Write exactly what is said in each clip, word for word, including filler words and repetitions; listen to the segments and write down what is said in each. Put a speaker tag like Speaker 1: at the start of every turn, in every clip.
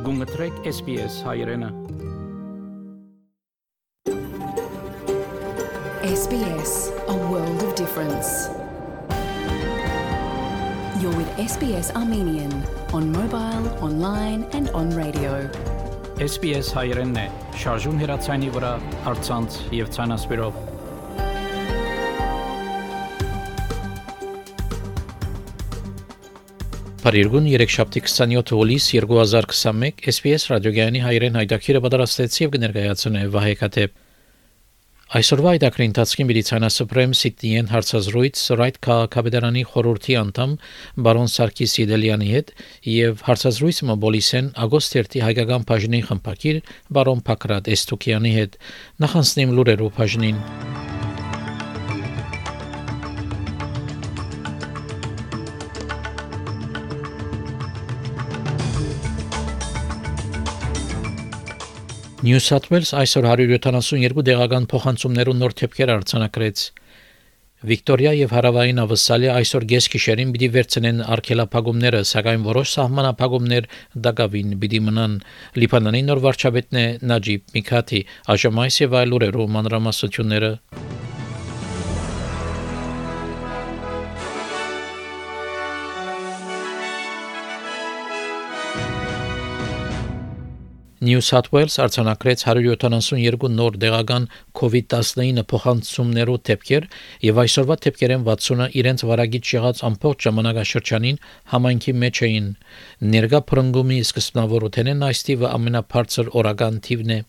Speaker 1: Գունգտրեք S B S հայրենը
Speaker 2: S B S, a world of difference. You're with S B S Armenian on mobile, online and on radio.
Speaker 1: S B S հայրենն է, շարժուն հեռացանի վրա, առցանց եւ ցանասպիրով։ Փարիգուն երեքշաբթի քսանյոթ հուլիս երկու հազար քսանմեկ S B S ռադիոգյանի հայրեն հայտակիրը պատրաստեցի եւ կներկայացնե Վահե Կաթեփ։ Այսօրվա հայտակրի ընթացքին Բրիտանիա Սիդնիեն հարցազրույց Սորայթ քաղաքապետարանի խորհրդի անդամ բարոն Սարգիս Սիդելյանի հետ եւ հարցազրույցը մոբիլիսեն ագոստերտի հայկական բաժնի խմբակիր բարոն Փակրատ Էստուկյանի հետ նախանցնեմ լուրերով բաժնին։ New South Wales այսօր one hundred seventy-two դեղական փոխանցումներուն նոր թեփքեր արձանագրեց։ Վիկտորիա եւ Հարավային Ավստրալիա այսօր գեսգիշերին պիտի վերցնեն արգելափակումները, սակայն որոշ սահմանափակումներ դակավին պիտի մնան։ Լիբանանի նոր վարչապետն է Նաջիբ Միքաթի, այժմ այս եւ այլ լուրերով մանրամասնությունները։ New South Wales արձանագրեց one hundred seventy-two նոր դեղական COVID nineteen փոխանցումներով թեփքեր եւ այսօրվա թեփքերեն sixty-ը իրենց վարագիծ եղած ամբողջ ժամանակաշրջանին համայնքի մեջ էին։ Ներկա փրկումի սկզբնավորութենեն այս թիվը ամենաբարձր օրական թիվն է։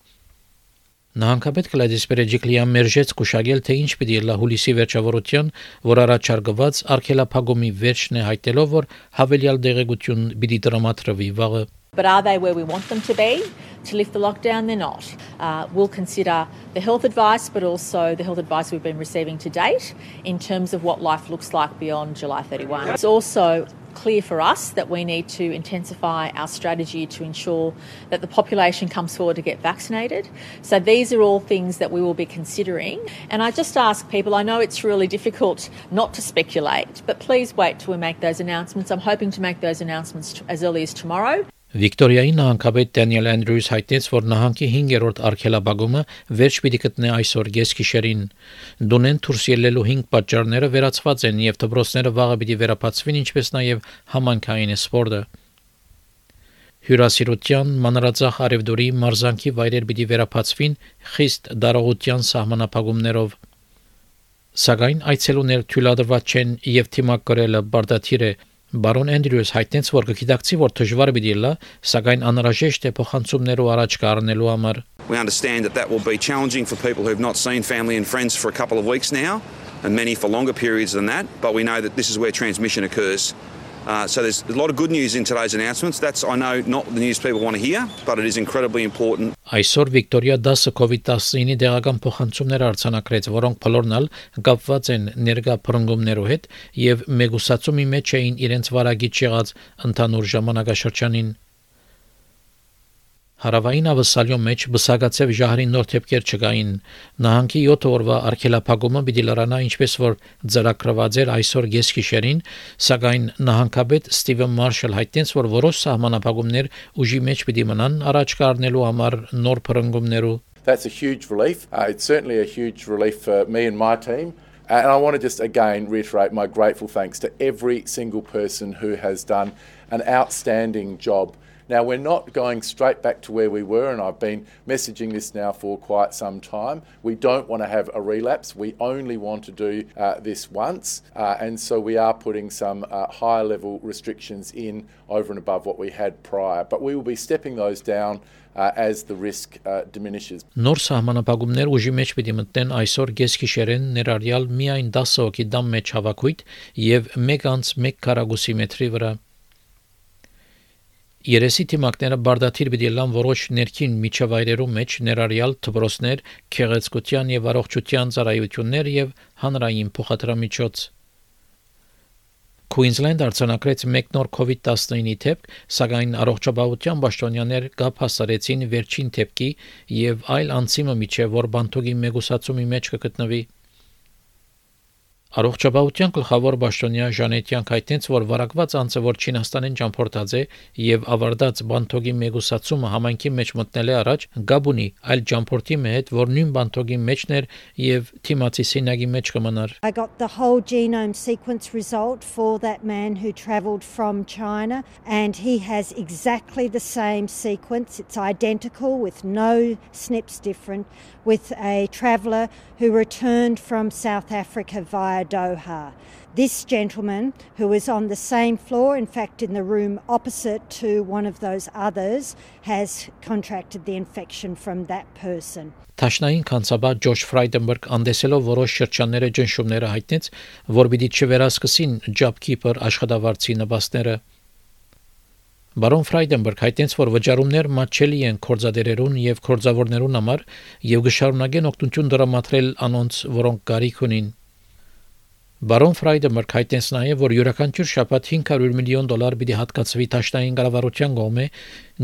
Speaker 1: Նահանգապետ Գլադիս Բերեջիկլիան մերժեց կուշակել, թե ինչ պիտի լա հուլիսի վերջավորության, որ առաջարկված արգելափակումի վերջն է հայտելով, որ հավելյալ դեղեցություն պիտի տրամադրվի վաղը։
Speaker 3: But are they where we want them to be to lift the lockdown? They're not. Uh, we'll consider the health advice, but also the health advice we've been receiving to date in terms of what life looks like beyond July thirty-first. It's also clear for us that we need to intensify our strategy to ensure that the population comes forward to get vaccinated. So these are all things that we will be considering. And I just ask people, I know it's really difficult not to speculate, but please wait till we make those announcements. I'm hoping to make those announcements as early as tomorrow.
Speaker 1: Վիկտորիայի նահանգապետ Դանիել Անդրյուս հայտնեց, որ նահանգի հինգերորդ արգելափակումը վերջ պիտի գտնի այսօր գեսգիշերին։ Դունեն դուրս ելնելու հինգ պատճառները վերացված են եւ դպրոցները վաղը պիտի վերապացվին, ինչպես նաեւ համանքային սպորտը։ Հյուրասիրության, մանրածախ արևդուրի, մարզանքի վայրեր պիտի վերապացվին խիստ դարողության սահմանափակումներով։ Սակայն այցելուներ թույլատրված չեն եւ թիմակրելը բարդաթիր է։ Բարոն Անդրյուս հայտնեց, որ գիտակցի, որ դժվար պիտի լա, սակայն անհրաժեշտ է փոխանցումներով առաջ կառնելու համար։
Speaker 4: We understand that that will be challenging for people who have not seen family and friends for a couple of weeks now, and many for longer periods than that, but we know that this is where transmission occurs. Uh, so there's a lot of good news in today's announcements. That's, I know, not the news people want to hear, but it is incredibly important.
Speaker 1: Այսօր Վիկտորիա ten COVID nineteen դեղական փոխանցումներ արձանագրեց, որոնք բոլորն ալ կապված են ներկա փրկումներով հետ եւ մեգուսացումի մեջ էին իրենց վարագիծ եղած ընդհանուր ժամանակաշրջանին։ Հարավային Ավստրալիա մեջ բսակացավ ժահրի նոր թեփքեր չկային։ Նահանգի seven օրվա արգելափակումը պիտի լրանա, ինչպես որ ծրագրված էր այսօր գեսգիշերին, սակայն նահանգապետ Ստիվեն Մարշալ հայտնեց, որ որոշ սահմանափակումներ ուժի մեջ պիտի մնան առաջ կառնելու համար նոր փրկումներով։
Speaker 5: That's a huge relief. Uh, it's certainly a huge relief for me and my team. And I want to just again reiterate my grateful thanks to every single person who has done an outstanding job. Now, we're not going straight back to where we were, and I've been messaging this now for quite some time. We don't want to have a relapse. We only want to do uh, this once. Uh, and so we are putting some uh, higher level restrictions in over and above what we had prior. But we will be stepping those down uh, as the risk uh, diminishes.
Speaker 1: Նոր սահմանափակումներ ուժի մեջ պիտի մտնեն այսօր գեսգիշերեն ներառյալ միայն ten հոգի դամ մեջ հավաքույթ եւ one անց one քառակուսի մետրի վրա։ Երեսի թիմակները բարդաթիր պիտի լան որոշ ներքին միջավայրերում մեջ ներառյալ դպրոցներ, քեղեցկության եւ առողջության ծառայություններ եւ հանրային փոխադրամիջոց։ Queensland արձանագրեց մեկ նոր COVID nineteen թեփք, սակայն առողջապահության պաշտոնյաներ գապ հասարեցին վերջին թեփքի եւ այլ անցիմը միջև որ բանտոգի մեգուսացումի մեջ կգտնվի։ Առողջապահության գլխավոր պաշտոնյա Ժանետյանք հայտնեց, որ վարակված անձը, որ Չինաստանին ճամփորդած է եւ ավարտած բանթոգի մեգուսացումը համայնքի մեջ մտնել է առաջ, գաբունի այլ ճամփորդի հետ, որ նույն բանթոգի մեջն էր եւ թիմացի սինագի մեջ կմնար։
Speaker 6: I got the whole genome sequence result for that man who travelled from China, and he has exactly the same sequence. It's identical with no S N Ps different, with a traveller who returned from South Africa via Doha. This gentleman, who was on the same floor, in fact in the room opposite to one of those others, has contracted the infection from that person.
Speaker 1: Թաշնային կանցաբար Ջորջ Ֆրայդենբերգ անդեսելով որոշ շրջանները ճնշումները հայտնեց, որ պիտի չվերահսկվին JobKeeper աշխատավարձի նպաստները։ Բարոն Ֆրայդենբերգ հայտնեց, որ վճարումներ մատչելի են կորձադերերուն եւ կորձավորներուն համար եւ գշարունակեն օգնություն դրամատրել անոնց, որոնք կարիք ունին։ Բարոն Ֆրայդենբերգ հայտնեց նաև, որ յուրաքանչյուր շաբաթ հինգ հարյուր միլիոն դոլար պիտի հատկացվի Թաշնային կառավարության կողմէ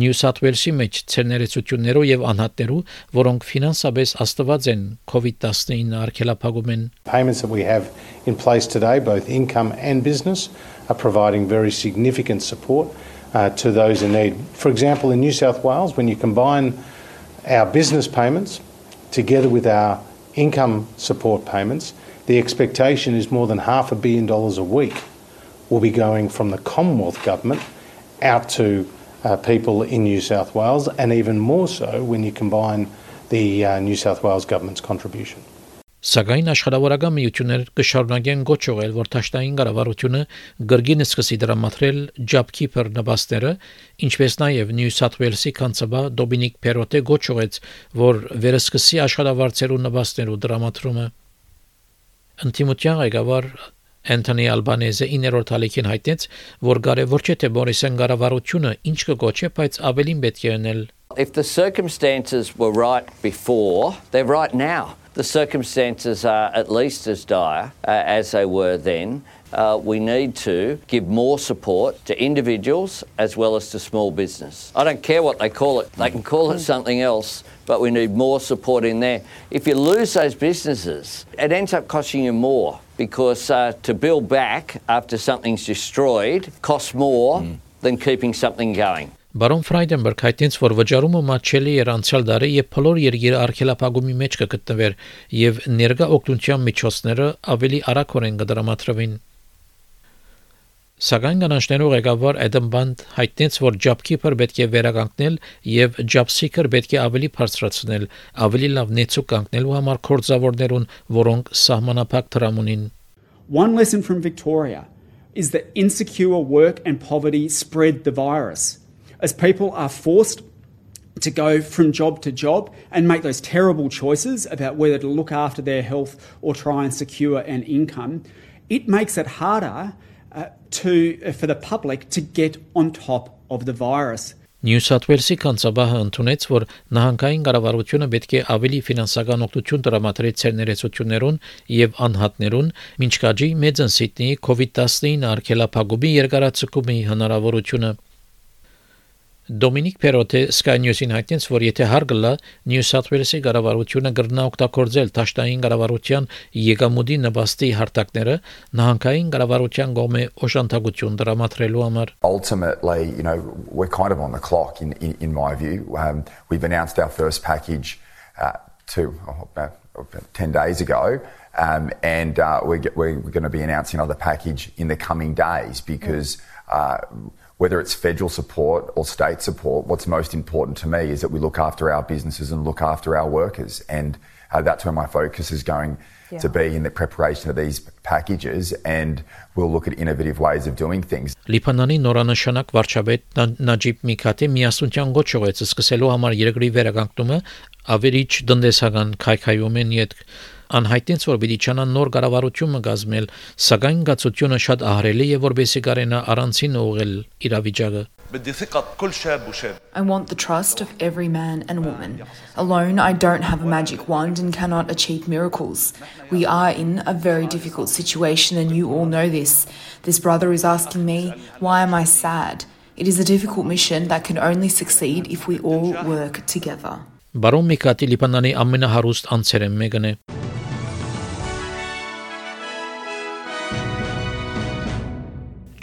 Speaker 1: Նյու Սաութ Ուելսի մեջ ցերներեցություններով եւ անհատներու, որոնք ֆինանսապես աստված են COVID nineteen արգելափակումեն։
Speaker 7: Payments that we have in place today, both income and business, are providing very significant support uh, to those in need. For example, in New South Wales, when you combine our business payments together with our income support payments, the expectation is more than half a billion dollars a week will be going from the Commonwealth Government out to uh, people in New South Wales, and even more so when you combine the uh, New South Wales Government's contribution.
Speaker 1: Սակայն աշխարհավորական միություններ կշարունակեն գոչողել, որ Թաշնային կառավարությունը գրգին սկսի դրամատրել JobKeeper նպաստները, ինչպես նաև Նյու Սաութ Ուելսի կանցաբա Դոմինիկ Պերոտե գոչողեց, որ վերսկսի աշխարհավարձերու նպաստներու դրամատրումը։ Ընտիմության ղեկավար Անթոնի Ալբանեզը իններորդ ալիքին հայտնեց, որ կարևոր չէ թե Մորիսոն կառավարությունը ինչ կգոչի, բայց ավելին պետք է անել։
Speaker 8: If the circumstances were right before, they're right now. The circumstances are at least as dire uh, as they were then. Uh, we need to give more support to individuals as well as to small business. I don't care what they call it. They can call it something else, but we need more support in there. If you lose those businesses, it ends up costing you more because uh, to build back after something's destroyed costs more mm. than keeping something going.
Speaker 1: Բարոն Ֆրայդենբերգ հայտնեց, որ վճարումը մատչելի էր անցյալ դարի եւ բոլոր երկիրը արգելափակումի մեջ կգտնվեր եւ ներկա օգնության միջոցները ավելի արագորեն կդրամատրվին։ Սակայն կանանչներու ղեկավար Էդեմ Բանդ հայտնեց, որ JobKeeper պետք է վերականգնել եւ JobSeeker պետք է ավելի բարձրացնել, ավելի լավ նեցուկ կանգնելու համար կորձավորներուն, որոնք սահմանափակ դրամ ունին։
Speaker 9: One lesson from Victoria is that insecure work and poverty spread the virus. As people are forced to go from job to job and make those terrible choices about whether to look after their health or try and secure an income, it makes it harder uh, to, uh, for the public to get on top of the virus.
Speaker 1: Նյու Սաութ Ուելսի կանցաբահը ընդունեց, որ նահանգային կառավարությունը պետք է ավելի ֆինանսական օգնություն տրամադրի ցերներեցություններուն եւ անհատներուն, ինչ կաջի մեծն Սիդնեի COVID nineteen արգելափակումի երկարացկումի հնարավորությունը։ Դոմինիկ Պերոտե Sky News-ին հայտնեց, որ եթե հարգլա Նյու Սաութ Ուելսի կառավարությունը կգրնա օգտագործել Թաշնային կառավարության եկամուտի նպաստի հարթակները նահանգային կառավարության կողմէ օժանդակություն դրամատրելու համար։
Speaker 10: Ultimately, you know, we're kind of on the clock in in, in my view. Um, we've announced our first package uh, two oh, about, about ten days ago. Um, and uh, we're, we're going to be announcing another package in the coming days because uh, whether it's federal support or state support, what's most important to me is that we look after our businesses and look after our workers. And uh, that's where my focus is going yeah. to be in the preparation of these packages, and we'll look at innovative ways of doing things.
Speaker 1: Լիբանանի նորանշանակ վարչապետ Նաջիբ Միքաթի միասնության գոչողեց սկսելու համար երկրի վերականգնումը ավերիչ տնտեսական քայքայումեն յետ անհայտնեց, որ պիտի չանան նոր կառավարություն կազմել, սակայն գացությունը շատ ահռելի է, որպեսզի կարենա առանցին ուղղել իրավիճակը։
Speaker 11: I want the trust of every man and woman. Alone, I don't have a magic wand and cannot achieve miracles. We are in a very difficult situation, and you all know this. This brother is asking me, why am I sad? It is a difficult mission that can only succeed if we all work together.
Speaker 1: Բարոն Միքաթի Լիբանանի ամենահարուստ անձերեն մեկն է։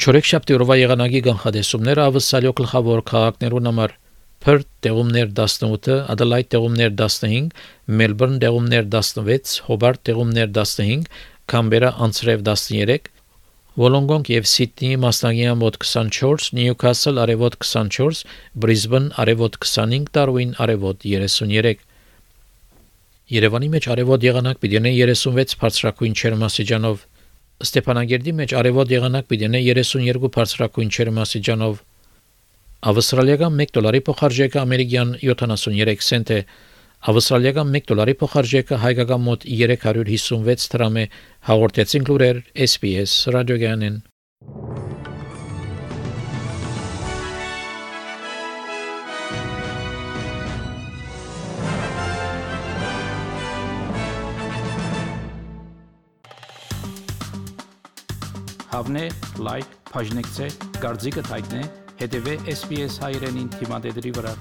Speaker 1: Չորեքշաբթի օրվա եղանակի կանխատեսումները ավսալյո գլխավոր քաղաքներուն համար Perth տեղումներ տասնութ, Adelaide տեղումներ տասնհինգ, Melbourne տեղումներ տասնվեց, Hobart տեղումներ տասնհինգ, Canberra անցրև տասներեք, Wollongong եւ Sydney մասնագիան մոտ քսանչորս, Newcastle արևոտ քսանչորս, Brisbane արևոտ քսանհինգ, Darwin արևոտ երեսուներեք։ Երևանի մեջ արևոտ եղանակ պիտի ունենա երեսունվեց բարձրակույն ջերմաստիճանով, Ստեփանագերդի մեջ արևոտ եղանակ պիտի ունենա երեսունյոթ բարձրակույն ջերմաստիճանով, Ավստրալիական մեկ դոլարի փոխարժեքը ամերիկյան յոթանասուներեք سنت է, Ավստրալիական մեկ դոլարի փոխարժեքը հայկական մոտ երեք հարյուր հիսունվեց դրամ է, հաղորդեցին լուրեր S B S ռադիոգյանեն։ Հավնե, լայք, բաժնեկցե, դարձիկը թայտնե, հետևե S B S հայրենին թիմադեդի վրա։